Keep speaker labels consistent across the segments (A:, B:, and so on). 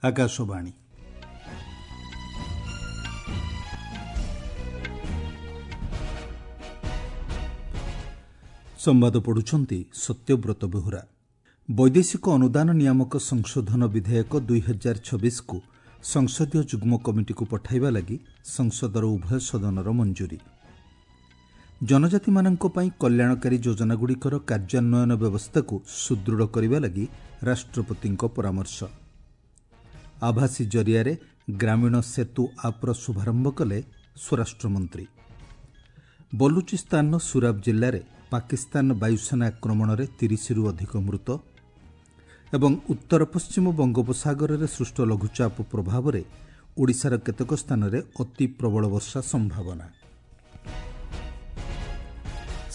A: ଆକାଶବାଣୀ। ସମ୍ବାଦ ପଢ଼ୁଛନ୍ତି ସତ୍ୟବ୍ରତ ବେହୁରା। ବୈଦେଶିକ ଅନୁଦାନ ନିୟାମକ ସଂଶୋଧନ ବିଧେୟକ 2026କୁ ସଂସଦୀୟ ଯୁଗ୍ମ କମିଟିକୁ ପଠାଇବା ଲାଗି ସଂସଦର ଉଭୟ ସଦନର ମଞ୍ଜୁରୀ। ଜନଜାତିମାନଙ୍କ ପାଇଁ କଲ୍ୟାଣକାରୀ ଯୋଜନାଗୁଡ଼ିକର କାର୍ଯ୍ୟାନ୍ୱୟନ ବ୍ୟବସ୍ଥାକୁ ସୁଦୃଢ଼ କରିବା ଲାଗି ରାଷ୍ଟ୍ରପତିଙ୍କ ପରାମର୍ଶ। ଆଭାସୀ ଜରିଆରେ ଗ୍ରାମୀଣ ସେତୁ ଆପ୍ର ଶୁଭାରମ୍ଭ କଲେ ସ୍ୱରାଷ୍ଟ୍ରମନ୍ତ୍ରୀ। ବଲୁଚିସ୍ତାନର ସୁରାବ ଜିଲ୍ଲାରେ ପାକିସ୍ତାନ ବାୟୁସେନା ଆକ୍ରମଣରେ 30ରୁ ଅଧିକ ମୃତ ଏବଂ ଉତ୍ତର ପଶ୍ଚିମ ବଙ୍ଗୋପସାଗରରେ ସୃଷ୍ଟ ଲଘୁଚାପ ପ୍ରଭାବରେ ଓଡ଼ିଶାର କେତେକ ସ୍ଥାନରେ ଅତି ପ୍ରବଳ ବର୍ଷା ସମ୍ଭାବନା।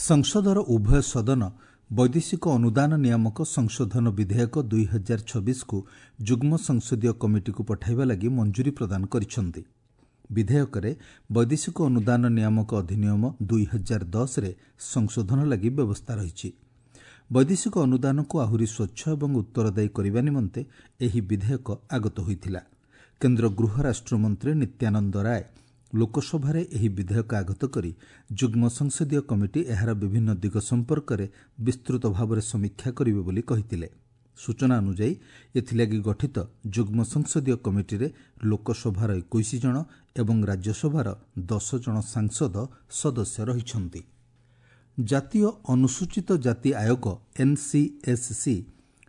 A: ସଂସଦର ଉଭୟ ସଦନ ବୈଦେଶିକ ଅନୁଦାନ ନିୟାମକ ସଂଶୋଧନ ବିଧେୟକ 2026କୁ ଯୁଗ୍ମ ସଂସଦୀୟ କମିଟିକୁ ପଠାଇବା ଲାଗି ମଞ୍ଜୁରୀ ପ୍ରଦାନ କରିଛନ୍ତି। ବିଧେୟକରେ ବୈଦେଶିକ ଅନୁଦାନ ନିୟାମକ ଅଧିନିୟମ 2010ରେ ସଂଶୋଧନ ଲାଗି ବ୍ୟବସ୍ଥା ରହିଛି। ବୈଦେଶିକ ଅନୁଦାନକୁ ଆହୁରି ସ୍ୱଚ୍ଛ ଏବଂ ଉତ୍ତରଦାୟୀ କରିବା ନିମନ୍ତେ ଏହି ବିଧେୟକ ଆଗତ ହୋଇଥିଲା। କେନ୍ଦ୍ର ଗୃହ ରାଷ୍ଟ୍ରମନ୍ତ୍ରୀ ନିତ୍ୟାନନ୍ଦ ରାୟ ଲୋକସଭାରେ ଏହି ବିଧେୟକ ଆଗତ କରି ଯୁଗ୍ମ ସଂସଦୀୟ କମିଟି ଏହାର ବିଭିନ୍ନ ଦିଗ ସମ୍ପର୍କରେ ବିସ୍ତୃତ ଭାବରେ ସମୀକ୍ଷା କରିବେ ବୋଲି କହିଥିଲେ। ସୂଚନା ଅନୁଯାୟୀ ଏଥିଲାଗି ଗଠିତ ଯୁଗ୍ମ ସଂସଦୀୟ କମିଟିରେ ଲୋକସଭାର 21 ଜଣ ଏବଂ ରାଜ୍ୟସଭାର 10 ଜଣ ସାଂସଦ ସଦସ୍ୟ ରହିଛନ୍ତି। ଜାତୀୟ ଅନୁସୂଚିତ ଜାତି ଆୟୋଗ ଏନ୍ସିଏସ୍ସି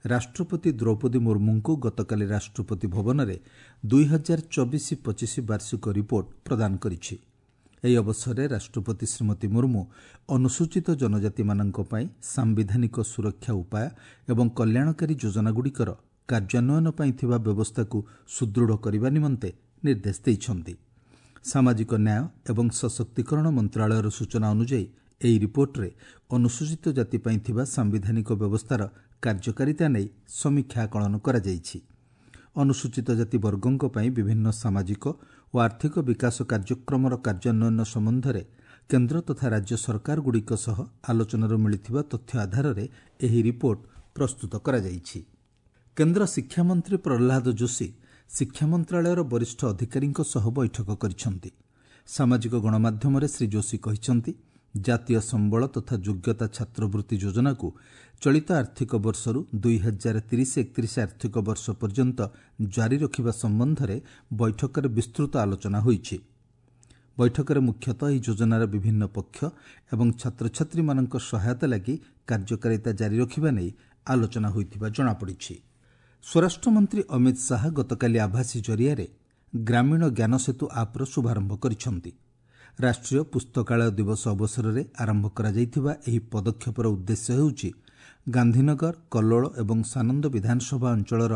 A: ରାଷ୍ଟ୍ରପତି ଦ୍ରୌପଦୀ ମୁର୍ମୁଙ୍କୁ ଗତକାଲି ରାଷ୍ଟ୍ରପତି ଭବନରେ 2024-25 ବାର୍ଷିକ ରିପୋର୍ଟ ପ୍ରଦାନ କରିଛି। ଏହି ଅବସରରେ ରାଷ୍ଟ୍ରପତି ଶ୍ରୀମତୀ ମୁର୍ମୁ ଅନୁସୂଚିତ ଜନଜାତିମାନଙ୍କ ପାଇଁ ସାମ୍ବିଧାନିକ ସୁରକ୍ଷା ଉପାୟ ଏବଂ କଲ୍ୟାଣକାରୀ ଯୋଜନାଗୁଡ଼ିକର କାର୍ଯ୍ୟାନ୍ୱୟନ ପାଇଁ ଥିବା ବ୍ୟବସ୍ଥାକୁ ସୁଦୃଢ଼ କରିବା ନିମନ୍ତେ ନିର୍ଦ୍ଦେଶ ଦେଇଛନ୍ତି। ସାମାଜିକ ନ୍ୟାୟ ଏବଂ ସଶକ୍ତିକରଣ ମନ୍ତ୍ରଣାଳୟର ସୂଚନା ଅନୁଯାୟୀ ଏହି ରିପୋର୍ଟରେ ଅନୁସୂଚିତ ଜାତି ପାଇଁ ଥିବା ସାମ୍ବିଧାନିକ ବ୍ୟବସ୍ଥାର କାର୍ଯ୍ୟକାରିତା ନେଇ ସମୀକ୍ଷା ଆକଳନ କରାଯାଇଛି। ଅନୁସୂଚିତ ଜାତି ବର୍ଗଙ୍କ ପାଇଁ ବିଭିନ୍ନ ସାମାଜିକ ଓ ଆର୍ଥିକ ବିକାଶ କାର୍ଯ୍ୟକ୍ରମର କାର୍ଯ୍ୟାନ୍ୱୟନ ସମ୍ବନ୍ଧରେ କେନ୍ଦ୍ର ତଥା ରାଜ୍ୟ ସରକାରଗୁଡ଼ିକ ସହ ଆଲୋଚନାରୁ ମିଳିଥିବା ତଥ୍ୟ ଆଧାରରେ ଏହି ରିପୋର୍ଟ ପ୍ରସ୍ତୁତ କରାଯାଇଛି। କେନ୍ଦ୍ର ଶିକ୍ଷାମନ୍ତ୍ରୀ ପ୍ରହ୍ଲାଦ ଯୋଶୀ ଶିକ୍ଷା ମନ୍ତ୍ରଣାଳୟର ବରିଷ୍ଠ ଅଧିକାରୀଙ୍କ ସହ ବୈଠକ କରିଛନ୍ତି। ସାମାଜିକ ଗଣମାଧ୍ୟମରେ ଶ୍ରୀ ଯୋଶୀ କହିଛନ୍ତି, ଜାତୀୟ ସମ୍ବଳ ତଥା ଯୋଗ୍ୟତା ଛାତ୍ରବୃତ୍ତି ଯୋଜନାକୁ ଚଳିତ ଆର୍ଥିକ ବର୍ଷରୁ 2030-31 ଆର୍ଥିକ ବର୍ଷ ପର୍ଯ୍ୟନ୍ତ ଜାରି ରଖିବା ସମ୍ବନ୍ଧରେ ବୈଠକରେ ବିସ୍ତୃତ ଆଲୋଚନା ହୋଇଛି। ବୈଠକରେ ମୁଖ୍ୟତଃ ଏହି ଯୋଜନାର ବିଭିନ୍ନ ପକ୍ଷ ଏବଂ ଛାତ୍ରଛାତ୍ରୀମାନଙ୍କ ସହାୟତା ଲାଗି କାର୍ଯ୍ୟକାରିତା ଜାରି ରଖିବା ନେଇ ଆଲୋଚନା ହୋଇଥିବା ଜଣାପଡ଼ିଛି। ସ୍ୱରାଷ୍ଟ୍ରମନ୍ତ୍ରୀ ଅମିତ ଶାହା ଗତକାଲି ଆଭାସୀ ଜରିଆରେ ଗ୍ରାମୀଣ ଜ୍ଞାନସେତୁ ଆପ୍ର ଶୁଭାରମ୍ଭ କରିଛନ୍ତି। ରାଷ୍ଟ୍ରୀୟ ପୁସ୍ତକାଳୟ ଦିବସ ଅବସରରେ ଆରମ୍ଭ କରାଯାଇଥିବା ଏହି ପଦକ୍ଷେପର ଉଦ୍ଦେଶ୍ୟ ହେଉଛି ଗାନ୍ଧୀନଗର, କଲ୍ଲୋଳ ଏବଂ ସାନନ୍ଦ ବିଧାନସଭା ଅଞ୍ଚଳର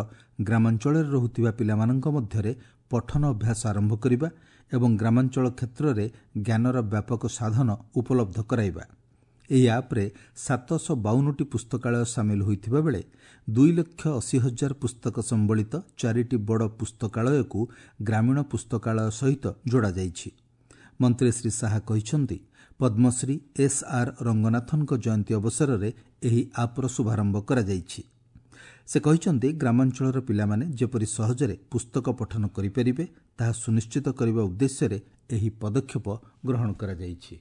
A: ଗ୍ରାମାଞ୍ଚଳରେ ରହୁଥିବା ପିଲାମାନଙ୍କ ମଧ୍ୟରେ ପଠନ ଅଭ୍ୟାସ ଆରମ୍ଭ କରିବା ଏବଂ ଗ୍ରାମାଞ୍ଚଳ କ୍ଷେତ୍ରରେ ଜ୍ଞାନର ବ୍ୟାପକ ସାଧନ ଉପଲବ୍ଧ କରାଇବା। ଏହି ଆପ୍ରେ 752ଟି ପୁସ୍ତକାଳୟ ସାମିଲ ହୋଇଥିବା ବେଳେ 2,80,000 ପୁସ୍ତକ ସମ୍ବଳିତ 4ଟି ବଡ଼ ପୁସ୍ତକାଳୟକୁ ଗ୍ରାମୀଣ ପୁସ୍ତକାଳୟ ସହିତ ଯୋଡ଼ାଯାଇଛି। ମନ୍ତ୍ରୀ ଶ୍ରୀ ଶାହା କହିଛନ୍ତି, ପଦ୍ମଶ୍ରୀ ଏସ୍ ଆର୍ ରଙ୍ଗନାଥନଙ୍କ ଜୟନ୍ତୀ ଅବସରରେ ଏହି ଆପ୍ର ଶୁଭାରମ୍ଭ କରାଯାଇଛି। ସେ କହିଛନ୍ତି, ଗ୍ରାମାଞ୍ଚଳର ପିଲାମାନେ ଯେପରି ସହଜରେ ପୁସ୍ତକ ପଠନ କରିପାରିବେ ତାହା ସୁନିଶ୍ଚିତ କରିବା ଉଦ୍ଦେଶ୍ୟରେ ଏହି ପଦକ୍ଷେପ ଗ୍ରହଣ କରାଯାଇଛି।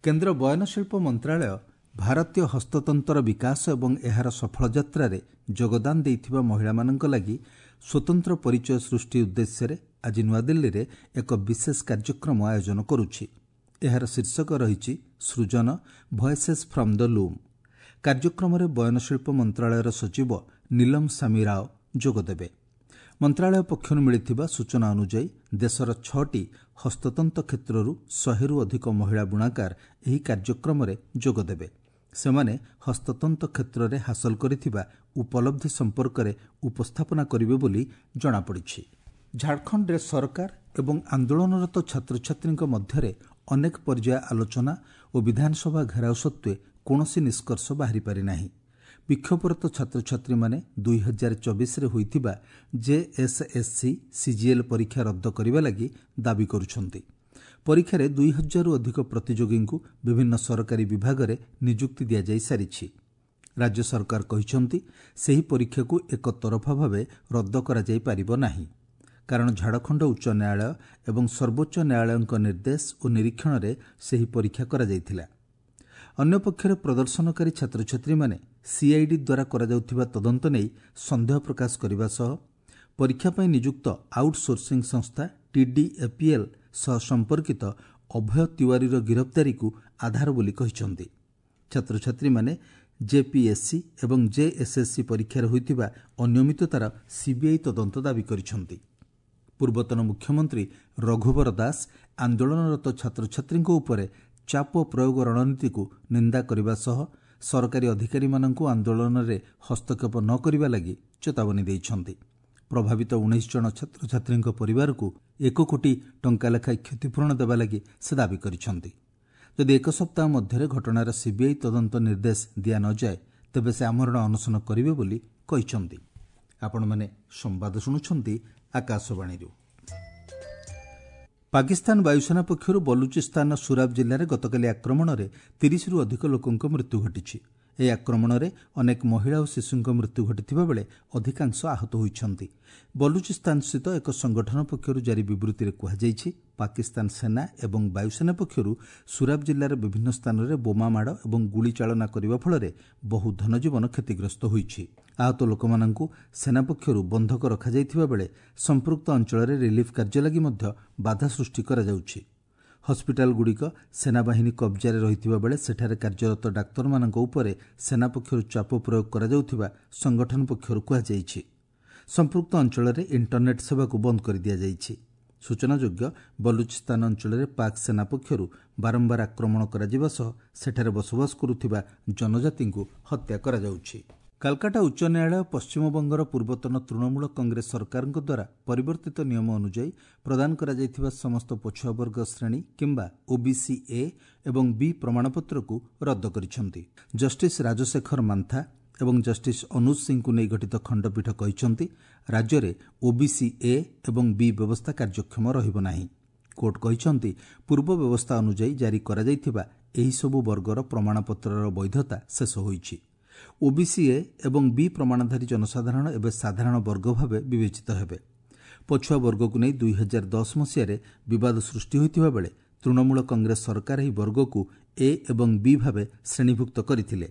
A: କେନ୍ଦ୍ର ବୟନଶିଳ୍ପ ମନ୍ତ୍ରଣାଳୟ ଭାରତୀୟ ହସ୍ତତନ୍ତର ବିକାଶ ଏବଂ ଏହାର ସଫଳ ଯାତ୍ରାରେ ଯୋଗଦାନ ଦେଇଥିବା ମହିଳାମାନଙ୍କ ଲାଗି ସ୍ୱତନ୍ତ୍ର ପରିଚୟ ସୃଷ୍ଟି ଉଦ୍ଦେଶ୍ୟରେ ଆଜି ନୂଆଦିଲ୍ଲୀରେ ଏକ ବିଶେଷ କାର୍ଯ୍ୟକ୍ରମ ଆୟୋଜନ କରୁଛି। ଏହାର ଶୀର୍ଷକ ରହିଛି ସୃଜନ ଭଏସେସ୍ ଫ୍ରମ୍ the loom. କାର୍ଯ୍ୟକ୍ରମରେ ବୟନଶିଳ୍ପ ମନ୍ତ୍ରଣାଳୟର ସଚିବ ନୀଲମ ସାମି ରାଓ ଯୋଗଦେବେ। ମନ୍ତ୍ରଣାଳୟ ପକ୍ଷରୁ ମିଳିଥିବା ସୂଚନା ଅନୁଯାୟୀ ଦେଶର 6ଟି ହସ୍ତତନ୍ତ କ୍ଷେତ୍ରରୁ 100ରୁ ଅଧିକ ମହିଳା ବୁଣାକାର ଏହି କାର୍ଯ୍ୟକ୍ରମରେ ଯୋଗଦେବେ। ସେମାନେ ହସ୍ତତନ୍ତ କ୍ଷେତ୍ରରେ ହାସଲ କରିଥିବା ଉପଲବ୍ଧି ସମ୍ପର୍କରେ ଉପସ୍ଥାପନା କରିବେ ବୋଲି ଜଣାପଡ଼ିଛି। ଝାଡ଼ଖଣ୍ଡରେ ସରକାର ଏବଂ ଆନ୍ଦୋଳନରତ ଛାତ୍ରଛାତ୍ରୀଙ୍କ ମଧ୍ୟରେ ଅନେକ ପର୍ଯ୍ୟାୟ ଆଲୋଚନା ଓ ବିଧାନସଭା ଘେରାଉ ସତ୍ତ୍ୱେ କୌଣସି ନିଷ୍କର୍ଷ ବାହାରି ପାରିନାହିଁ। ବିକ୍ଷୋଭରତ ଛାତ୍ରଛାତ୍ରୀମାନେ 2024ରେ ହୋଇଥିବା ଜେଏସ୍ଏସ୍ସି ସିଜିଏଲ୍ ପରୀକ୍ଷା ରଦ୍ଦ କରିବା ଲାଗି ଦାବି କରୁଛନ୍ତି। ପରୀକ୍ଷାରେ 2000ରୁ ଅଧିକ ପ୍ରତିଯୋଗୀଙ୍କୁ ବିଭିନ୍ନ ସରକାରୀ ବିଭାଗରେ ନିଯୁକ୍ତି ଦିଆଯାଇ ସାରିଛି। ରାଜ୍ୟ ସରକାର କହିଛନ୍ତି, ସେହି ପରୀକ୍ଷାକୁ ଏକତରଫା ଭାବେ ରଦ୍ଦ କରାଯାଇପାରିବ ନାହିଁ, କାରଣ ଝାଡ଼ଖଣ୍ଡ ଉଚ୍ଚ ନ୍ୟାୟାଳୟ ଏବଂ ସର୍ବୋଚ୍ଚ ନ୍ୟାୟାଳୟଙ୍କ ନିର୍ଦ୍ଦେଶ ଓ ନିରୀକ୍ଷଣରେ ସେହି ପରୀକ୍ଷା କରାଯାଇଥିଲା। ଅନ୍ୟପକ୍ଷରେ ପ୍ରଦର୍ଶନକାରୀ ଛାତ୍ରଛାତ୍ରୀମାନେ ସିଆଇଡି ଦ୍ୱାରା କରାଯାଉଥିବା ତଦନ୍ତ ନେଇ ସନ୍ଦେହ ପ୍ରକାଶ କରିବା ସହ ପରୀକ୍ଷା ପାଇଁ ନିଯୁକ୍ତ ଆଉଟ୍ସୋର୍ସିଂ ସଂସ୍ଥା ଟିଡିଏପିଏଲ୍ ସହ ସମ୍ପର୍କିତ ଅଭୟ ତିୱାରୀର ଗିରଫଦାରୀକୁ ଆଧାର ବୋଲି କହିଛନ୍ତି। ଛାତ୍ରଛାତ୍ରୀମାନେ ଜେପିଏସ୍ସି ଏବଂ ଜେଏସ୍ଏସ୍ସି ପରୀକ୍ଷାରେ ହୋଇଥିବା ଅନିୟମିତତାର ସିବିଆଇ ତଦନ୍ତ ଦାବି କରିଛନ୍ତି। ପୂର୍ବତନ ମୁଖ୍ୟମନ୍ତ୍ରୀ ରଘୁବର ଦାସ ଆନ୍ଦୋଳନରତ ଛାତ୍ରଛାତ୍ରୀଙ୍କ ଉପରେ ଚାପ ପ୍ରୟୋଗ ରଣନୀତିକୁ ନିନ୍ଦା କରିବା ସହ ସରକାରୀ ଅଧିକାରୀମାନଙ୍କୁ ଆନ୍ଦୋଳନରେ ହସ୍ତକ୍ଷେପ ନ କରିବା ଲାଗି ଚେତାବନୀ ଦେଇଛନ୍ତି। ପ୍ରଭାବିତ 19 ଜଣ ଛାତ୍ରଛାତ୍ରୀଙ୍କ ପରିବାରକୁ 1 କୋଟି ଟଙ୍କା ଲେଖାଏଁ କ୍ଷତିପୂରଣ ଦେବା ଲାଗି ସେ ଦାବି କରିଛନ୍ତି। ଯଦି ଏକ ସପ୍ତାହ ମଧ୍ୟରେ ଘଟଣାର ସିବିଆଇ ତଦନ୍ତ ନିର୍ଦ୍ଦେଶ ଦିଆ ନଯାଏ, ତେବେ ସେ ଆମରଣ ଅନଶନ କରିବେ ବୋଲି କହିଛନ୍ତି। ଆପଣମାନେ ସମ୍ବାଦ ଶୁଣୁଛନ୍ତି ଆକାଶବାଣୀରୁ। ପାକିସ୍ତାନ ବାୟୁସେନା ପକ୍ଷରୁ ବଲୁଚିସ୍ତାନର ସୁରାବ ଜିଲ୍ଲାରେ ଗତକାଲି ଆକ୍ରମଣରେ 30ରୁ ଅଧିକ ଲୋକଙ୍କ ମୃତ୍ୟୁ ଘଟିଛି। ଏହି ଆକ୍ରମଣରେ ଅନେକ ମହିଳା ଓ ଶିଶୁଙ୍କ ମୃତ୍ୟୁ ଘଟିଥିବା ବେଳେ ଅଧିକାଂଶ ଆହତ ହୋଇଛନ୍ତି। ବଲୁଚିସ୍ତାନସ୍ଥିତ ଏକ ସଂଗଠନ ପକ୍ଷରୁ ଜାରି ବିବୃତ୍ତିରେ କୁହାଯାଇଛି, ପାକିସ୍ତାନ ସେନା ଏବଂ ବାୟୁସେନା ପକ୍ଷରୁ ସୁରାବ ଜିଲ୍ଲାର ବିଭିନ୍ନ ସ୍ଥାନରେ ବୋମା ମାଡ଼ ଏବଂ ଗୁଳି ଚାଳନା କରିବା ଫଳରେ ବହୁ ଧନଜୀବନ କ୍ଷତିଗ୍ରସ୍ତ ହୋଇଛି। ଆହତ ଲୋକମାନଙ୍କୁ ସେନା ପକ୍ଷରୁ ବନ୍ଧକ ରଖାଯାଇଥିବା ବେଳେ ସମ୍ପୃକ୍ତ ଅଞ୍ଚଳରେ ରିଲିଫ୍ କାର୍ଯ୍ୟ ଲାଗି ମଧ୍ୟ ବାଧା ସୃଷ୍ଟି କରାଯାଉଛି। ହସ୍ପିଟାଲଗୁଡ଼ିକ ସେନାବାହିନୀ କବ୍ଜାରେ ରହିଥିବା ବେଳେ ସେଠାରେ କାର୍ଯ୍ୟରତ ଡାକ୍ତରମାନଙ୍କ ଉପରେ ସେନା ପକ୍ଷରୁ ଚାପ ପ୍ରୟୋଗ କରାଯାଉଥିବା ସଂଗଠନ ପକ୍ଷରୁ କୁହାଯାଇଛି। ସମ୍ପୃକ୍ତ ଅଞ୍ଚଳରେ ଇଣ୍ଟରନେଟ୍ ସେବାକୁ ବନ୍ଦ କରିଦିଆଯାଇଛି। ସୂଚନାଯୋଗ୍ୟ, ବଲୁଚିସ୍ତାନ ଅଞ୍ଚଳରେ ପାକ୍ ସେନା ପକ୍ଷରୁ ବାରମ୍ବାର ଆକ୍ରମଣ କରାଯିବା ସହ ସେଠାରେ ବସବାସ କରୁଥିବା ଜନଜାତିଙ୍କୁ ହତ୍ୟା କରାଯାଉଛି। କାଲକାଟା ଉଚ୍ଚ ନ୍ୟାୟାଳୟ ପଶ୍ଚିମବଙ୍ଗର ପୂର୍ବତନ ତୃଣମୂଳ କଂଗ୍ରେସ ସରକାରଙ୍କ ଦ୍ୱାରା ପରିବର୍ତ୍ତିତ ନିୟମ ଅନୁଯାୟୀ ପ୍ରଦାନ କରାଯାଇଥିବା ସମସ୍ତ ପଛୁଆ ବର୍ଗ ଶ୍ରେଣୀ କିମ୍ବା ଓବିସି ଏ ଏବଂ ବି ପ୍ରମାଣପତ୍ରକୁ ରଦ୍ଦ କରିଛନ୍ତି। ଜଷ୍ଟିସ୍ ରାଜଶେଖର ମାନ୍ଥା ଏବଂ ଜଷ୍ଟିସ୍ ଅନୁଜ ସିଂଙ୍କୁ ନେଇ ଗଠିତ ଖଣ୍ଡପୀଠ କହିଛନ୍ତି, ରାଜ୍ୟରେ ଓବିସି ଏ ଏବଂ ବି ବ୍ୟବସ୍ଥା କାର୍ଯ୍ୟକ୍ଷମ ରହିବ ନାହିଁ। କୋର୍ଟ କହିଛନ୍ତି, ପୂର୍ବ ବ୍ୟବସ୍ଥା ଅନୁଯାୟୀ ଜାରି କରାଯାଇଥିବା ଏହିସବୁ ବର୍ଗର ପ୍ରମାଣପତ୍ରର ବୈଧତା ଶେଷ ହୋଇଛି। ଓବିସି ଏ ଏବଂ ବି ପ୍ରମାଣଧାରୀ ଜନସାଧାରଣ ଏବେ ସାଧାରଣ ବର୍ଗ ଭାବେ ବିବେଚିତ ହେବେ। ପଛୁଆ ବର୍ଗକୁ ନେଇ 2010 ମସିହାରେ ବିବାଦ ସୃଷ୍ଟି ହୋଇଥିବା ବେଳେ ତୃଣମୂଳ କଂଗ୍ରେସ ସରକାର ଏହି ବର୍ଗକୁ ଏ ଏବଂ ବି ଭାବେ ଶ୍ରେଣୀଭୁକ୍ତ କରିଥିଲେ।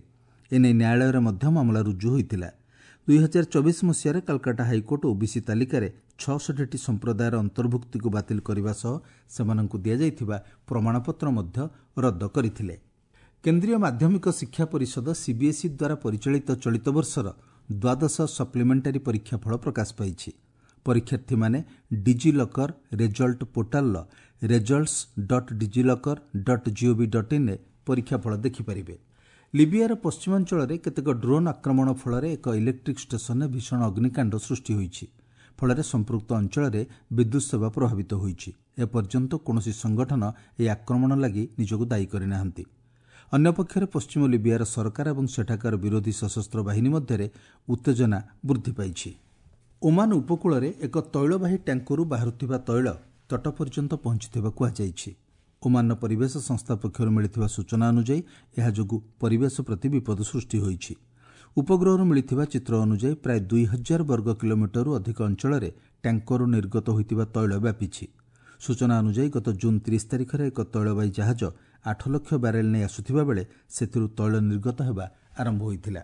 A: ଏନେଇ ନ୍ୟାୟାଳୟରେ ମଧ୍ୟ ମାମଲା ରୁଜୁ ହୋଇଥିଲା। 2024 ମସିହାରେ କାଲକାଟା ହାଇକୋର୍ଟ ଓବିସି ତାଲିକାରେ 66ଟି ସମ୍ପ୍ରଦାୟର ଅନ୍ତର୍ଭୁକ୍ତିକୁ ବାତିଲ କରିବା ସହ ସେମାନଙ୍କୁ ଦିଆଯାଇଥିବା ପ୍ରମାଣପତ୍ର ମଧ୍ୟ ରଦ୍ଦ କରିଥିଲେ। କେନ୍ଦ୍ରୀୟ ମାଧ୍ୟମିକ ଶିକ୍ଷା ପରିଷଦ ସିବିଏସ୍ଇ ଦ୍ୱାରା ପରିଚାଳିତ ଚଳିତ ବର୍ଷର ଦ୍ୱାଦଶ ସପ୍ଲିମେଣ୍ଟାରୀ ପରୀକ୍ଷା ଫଳ ପ୍ରକାଶ ପାଇଛି। ପରୀକ୍ଷାର୍ଥୀମାନେ ଡିଜିଲକର ରେଜଲ୍ଟ ପୋର୍ଟାଲର results.digilocker.gov.in ରେ ପରୀକ୍ଷା ଫଳ ଦେଖିପାରିବେ। ଲିବିଆର ପଶ୍ଚିମାଞ୍ଚଳରେ କେତେକ ଡ୍ରୋନ୍ ଆକ୍ରମଣ ଫଳରେ ଏକ ଇଲେକ୍ଟ୍ରିକ୍ ଷ୍ଟେସନରେ ଭୀଷଣ ଅଗ୍ନିକାଣ୍ଡ ସୃଷ୍ଟି ହୋଇଛି। ଫଳରେ ସମ୍ପୃକ୍ତ ଅଞ୍ଚଳରେ ବିଦ୍ୟୁତ୍ ସେବା ପ୍ରଭାବିତ ହୋଇଛି। ଏପର୍ଯ୍ୟନ୍ତ କୌଣସି ସଂଗଠନ ଏହି ଆକ୍ରମଣ ଲାଗି ନିଜକୁ ଦାୟୀ କରିନାହାନ୍ତି। ଅନ୍ୟପକ୍ଷରେ ପଶ୍ଚିମ ଲିବିଆର ସରକାର ଏବଂ ସେଠାକାର ବିରୋଧୀ ସଶସ୍ତ୍ର ବାହିନୀ ମଧ୍ୟରେ ଉତ୍ତେଜନା ବୃଦ୍ଧି ପାଇଛି। ଓମାନ ଉପକୂଳରେ ଏକ ତୈଳବାହୀ ଟ୍ୟାଙ୍କରରୁ ବାହାରୁଥିବା ତୈଳ ତଟ ପର୍ଯ୍ୟନ୍ତ ପହଞ୍ଚିଥିବା କୁହାଯାଇଛି। ଓମାନର ପରିବେଶ ସଂସ୍ଥା ପକ୍ଷରୁ ମିଳିଥିବା ସୂଚନା ଅନୁଯାୟୀ ଏହା ଯୋଗୁଁ ପରିବେଶ ପ୍ରତି ବିପଦ ସୃଷ୍ଟି ହୋଇଛି। ଉପଗ୍ରହରୁ ମିଳିଥିବା ଚିତ୍ର ଅନୁଯାୟୀ ପ୍ରାୟ 2000 ବର୍ଗ କିଲୋମିଟରରୁ ଅଧିକ ଅଞ୍ଚଳରେ ଟ୍ୟାଙ୍କରରୁ ନିର୍ଗତ ହୋଇଥିବା ତୈଳ ବ୍ୟାପିଛି। ସୂଚନା ଅନୁଯାୟୀ ଗତ ଜୁନ୍ 30 ତାରିଖରେ ଏକ ତୈଳବାହୀ ଜାହାଜ 8 ଲକ୍ଷ ବ୍ୟାରେଲ୍ ନେଇ ଆସୁଥିବା ବେଳେ ସେଥିରୁ ତୈଳ ନିର୍ଗତ ହେବା ଆରମ୍ଭ ହୋଇଥିଲା।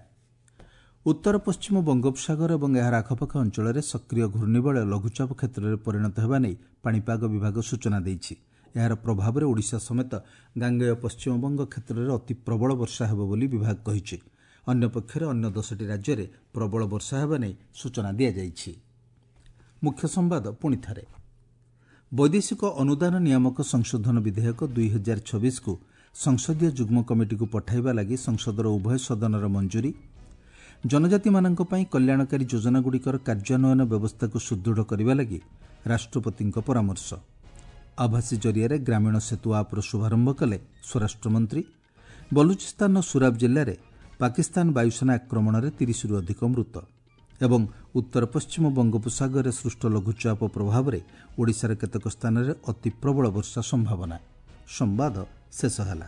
A: ଉତ୍ତର ପଶ୍ଚିମ ବଙ୍ଗୋପସାଗର ଏବଂ ଏହାର ଆଖପାଖ ଅଞ୍ଚଳରେ ସକ୍ରିୟ ଘୂର୍ଣ୍ଣିବଳୟ ଲଘୁଚାପ କ୍ଷେତ୍ରରେ ପରିଣତ ହେବା ନେଇ ପାଣିପାଗ ବିଭାଗ ସୂଚନା ଦେଇଛି। ଏହାର ପ୍ରଭାବରେ ଓଡ଼ିଶା ସମେତ ଗାଙ୍ଗେୟ ପଶ୍ଚିମବଙ୍ଗ କ୍ଷେତ୍ରରେ ଅତି ପ୍ରବଳ ବର୍ଷା ହେବ ବୋଲି ବିଭାଗ କହିଛି। ଅନ୍ୟପକ୍ଷରେ ଅନ୍ୟ 10ଟି ରାଜ୍ୟରେ ପ୍ରବଳ ବର୍ଷା ହେବା ନେଇ ସୂଚନା ଦିଆଯାଇଛି। ମୁଖ୍ୟ ସମ୍ବାଦ ପୁଣି ଥରେ। ବୈଦେଶିକ ଅନୁଦାନ ନିୟାମକ ସଂଶୋଧନ ବିଧେୟକ 2026କୁ ସଂସଦୀୟ ଯୁଗ୍ମ କମିଟିକୁ ପଠାଇବା ଲାଗି ସଂସଦର ଉଭୟ ସଦନର ମଞ୍ଜୁରୀ। ଜନଜାତିମାନଙ୍କ ପାଇଁ କଲ୍ୟାଣକାରୀ ଯୋଜନାଗୁଡ଼ିକର କାର୍ଯ୍ୟାନ୍ୱୟନ ବ୍ୟବସ୍ଥାକୁ ସୁଦୃଢ଼ କରିବା ଲାଗି ରାଷ୍ଟ୍ରପତିଙ୍କ ପରାମର୍ଶ। ଆଭାସୀ ଜରିଆରେ ଗ୍ରାମୀଣ ସେତୁ ଆପ୍ର ଶୁଭାରମ୍ଭ କଲେ ସ୍ୱରାଷ୍ଟ୍ରମନ୍ତ୍ରୀ। ବଲୁଚିସ୍ତାନର ସୁରାବ ଜିଲ୍ଲାରେ ପାକିସ୍ତାନ ବାୟୁସେନା ଆକ୍ରମଣରେ 30ରୁ ଅଧିକ ମୃତ। ଏବଂ ଉତ୍ତର ପଶ୍ଚିମ ବଙ୍ଗୋପସାଗରରେ ସୃଷ୍ଟ ଲଘୁଚାପ ପ୍ରଭାବରେ ଓଡ଼ିଶାର କେତେକ ସ୍ଥାନରେ ଅତି ପ୍ରବଳ ବର୍ଷା ସମ୍ଭାବନା। ସମ୍ବାଦ ଶେଷ ହେଲା।